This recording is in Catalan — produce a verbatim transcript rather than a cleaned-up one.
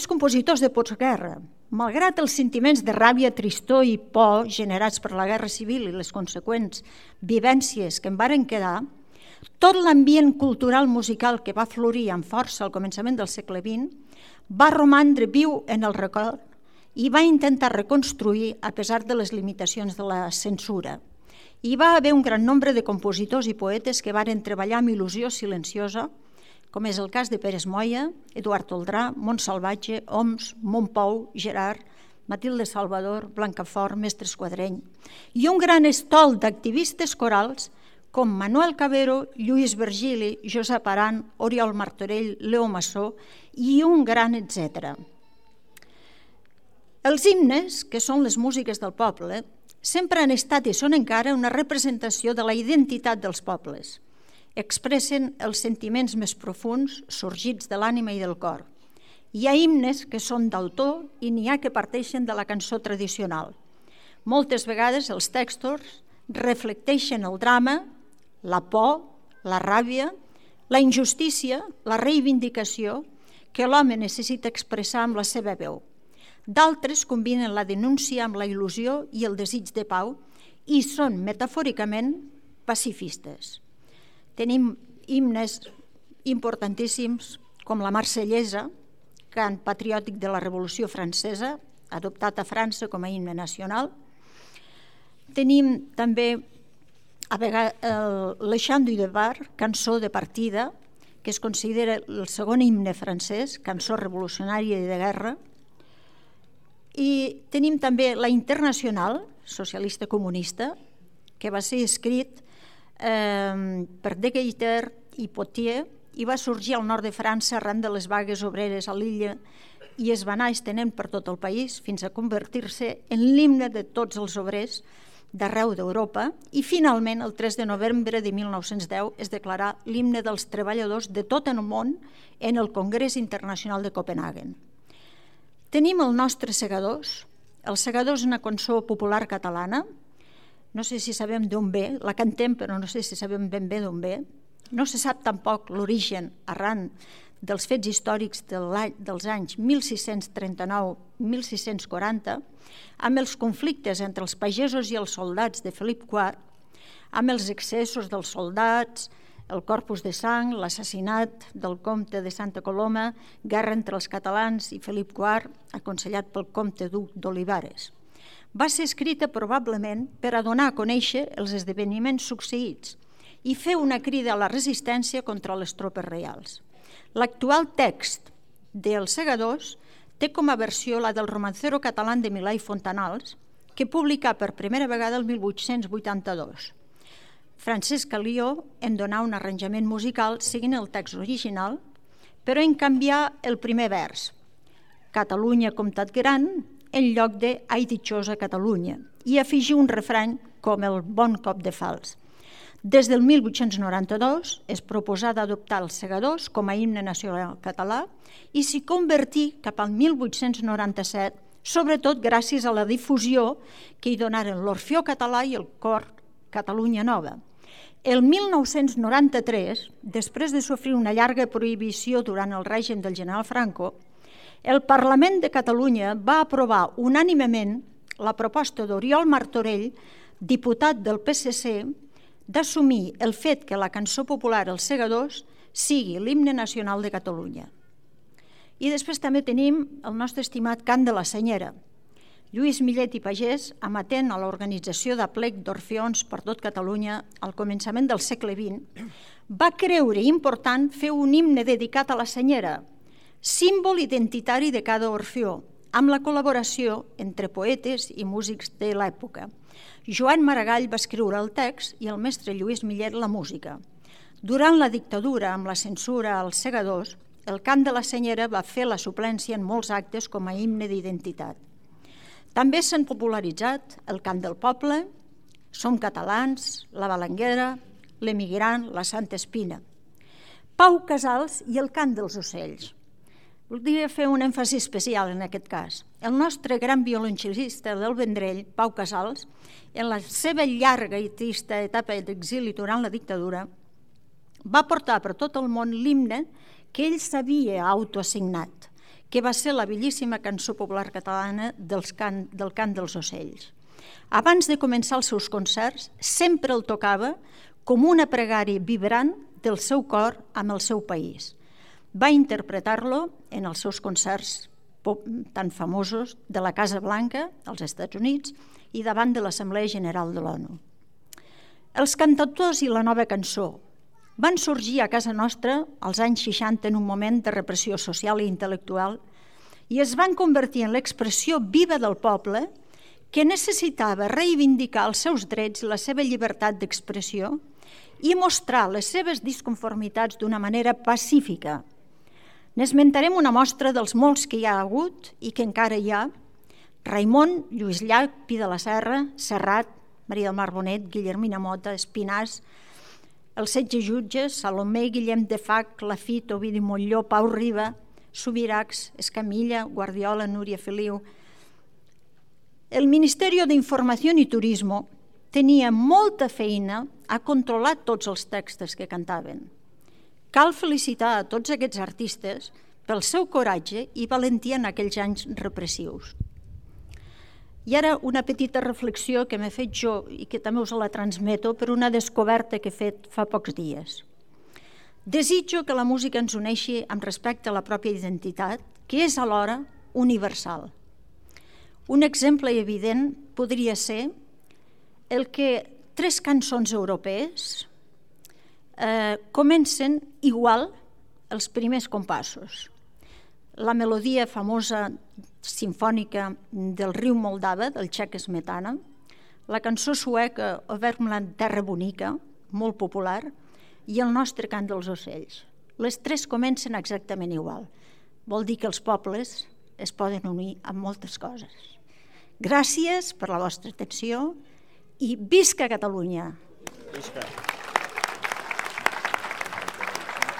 altres compositors de postguerra, malgrat els sentiments de ràbia, tristor i por generats per la Guerra Civil i les conseqüents vivències que en varen quedar, tot l'ambient cultural musical que va florir amb força al començament del segle vint va romandre viu en el record i va intentar reconstruir a pesar de les limitacions de la censura. Hi va haver un gran nombre de compositors i poetes que varen treballar amb il·lusió silenciosa, com és el cas de Pérez Moya, Eduard Oldrà, Montsalvatge, Oms, Montpou, Gerard, Matilde Salvador, Blancafort, Mestre Esquadreny, i un gran estol d'activistes corals com Manuel Cabero, Lluís Virgili, Josep Aran, Oriol Martorell, Leo Massó i un gran etcètera. Els himnes, que són les músiques del poble, sempre han estat i són encara una representació de la identitat dels pobles. Expressen els sentiments més profunds sorgits de l'ànima i del cor. Hi ha himnes que són d'autor i n'hi ha que parteixen de la cançó tradicional. Moltes vegades els textos reflecteixen el drama, la por, la ràbia, la injustícia, la reivindicació que l'home necessita expressar amb la seva veu. D'altres combinen la denúncia amb la il·lusió i el desig de pau i són metafòricament pacifistes. Tenim himnes importantíssims com la Marsellesa, cant patriòtic de la Revolució Francesa, adoptat a França com a himne nacional. Tenim també Le Chant du Départ, cançó de partida, que es considera el segon himne francès, cançó revolucionària i de guerra. I tenim també la Internacional, socialista comunista, que va ser escrit eh, per De Gaiter i Potier i va sorgir al nord de França arran de les vagues obreres a l'illa i es va anar estenent per tot el país fins a convertir-se en l'himne de tots els obrers d'arreu d'Europa i finalment el tres de novembre de mil nou-cents deu es declarà l'himne dels treballadors de tot el món en el Congrés Internacional de Copenhaguen. Tenim el nostre Segadors. El Segador és una cançó popular catalana. No sé si sabem d'on ve, la cantem però no sé si sabem ben bé d'on ve. No se sap tampoc l'origen arran dels fets històrics dels anys mil sis-cents trenta-nou a mil sis-cents quaranta, amb els conflictes entre els pagesos i els soldats de Felip quart, amb els excessos dels soldats, el corpus de sang, l'assassinat del comte de Santa Coloma, guerra entre els catalans i Felip quart, aconsellat pel comte duc d'Olivares. Va ser escrita probablement per a donar a conèixer els esdeveniments succeïts i fer una crida a la resistència contra les tropes reials. L'actual text dels Segadors té com a versió la del romancero català de Milà i Fontanals, que publicà per primera vegada el mil vuit-cents vuitanta-dos. Francesc Alió en donà un arranjament musical seguint el text original, però en canviar el primer vers, Catalunya comtat gran, en lloc de Ai ditxosa Catalunya, i afegir un refrany com el bon cop de fals. Des del mil vuit-cents noranta-dos es proposà d'adoptar els Segadors com a himne nacional català i s'hi convertí cap al mil vuit-cents noranta-set, sobretot gràcies a la difusió que hi donaren l'Orfeó Català i el Cor Catalunya Nova. El mil nou-cents noranta-tres, després de sofrir una llarga prohibició durant el règim del general Franco, el Parlament de Catalunya va aprovar unànimement la proposta d'Oriol Martorell, diputat del P S C, d'assumir el fet que la cançó popular Els Segadors sigui l'himne nacional de Catalunya. I després també tenim el nostre estimat cant de la Senyera. Lluís Millet i Pagès, amatent a l'organització d'aplec d'orfeons per tot Catalunya al començament del segle vint, va creure important fer un himne dedicat a la Senyera, símbol identitari de cada orfeó, amb la col·laboració entre poetes i músics de l'època. Joan Maragall va escriure el text i el mestre Lluís Millet la música. Durant la dictadura, amb la censura als Segadors, el cant de la Senyera va fer la suplència en molts actes com a himne d'identitat. També s'han popularitzat el cant del poble, Som catalans, la Balanguera, l'Emigrant, la Santa Espina, Pau Casals i el cant dels ocells. Voldria fer un èmfasi especial en aquest cas. El nostre gran violoncel·lista del Vendrell, Pau Casals, en la seva llarga i trista etapa d'exili durant la dictadura, va portar per tot el món l'himne que ell s'havia autoassignat, que va ser la bellíssima cançó popular catalana del cant, del cant dels ocells. Abans de començar els seus concerts, sempre el tocava com una pregària vibrant del seu cor amb el seu país. Va interpretar-lo en els seus concerts tan famosos de la Casa Blanca, als Estats Units, i davant de l'Assemblea General de l'ONU. Els cantautors i la nova cançó van sorgir a casa nostra als anys seixanta en un moment de repressió social i intel·lectual i es van convertir en l'expressió viva del poble que necessitava reivindicar els seus drets i la seva llibertat d'expressió i mostrar les seves disconformitats d'una manera pacífica. N'esmentarem una mostra dels molts que hi ha hagut i que encara hi ha: Raimon, Lluís Llach, Pi de la Serra, Serrat, Maria del Mar Bonet, Guillermina Mota, Espinàs, els setze jutges, Salomé, Guillem de Fac, Lafit, Ovidi Montllor, Pau Riba, Subirachs, Escamilla, Guardiola, Núria Feliu. El Ministerio de Información y Turismo tenia molta feina a controlar tots els textos que cantaven. Cal felicitar a tots aquests artistes pel seu coratge i valentia en aquells anys repressius. I ara una petita reflexió que m'he fet jo i que també us la transmeto per una descoberta que he fet fa pocs dies. Desitjo que la música ens uneixi amb respecte a la pròpia identitat, que és alhora universal. Un exemple evident podria ser el que tres cançons europees eh, comencen igual els primers compassos. La melodia famosa sinfònica del riu Moldava, del txec Smetana, la cançó sueca O Värmland, terra bonica, molt popular, i el nostre cant dels ocells. Les tres comencen exactament igual. Vol dir que els pobles es poden unir amb moltes coses. Gràcies per la vostra atenció i visca Catalunya! Visca!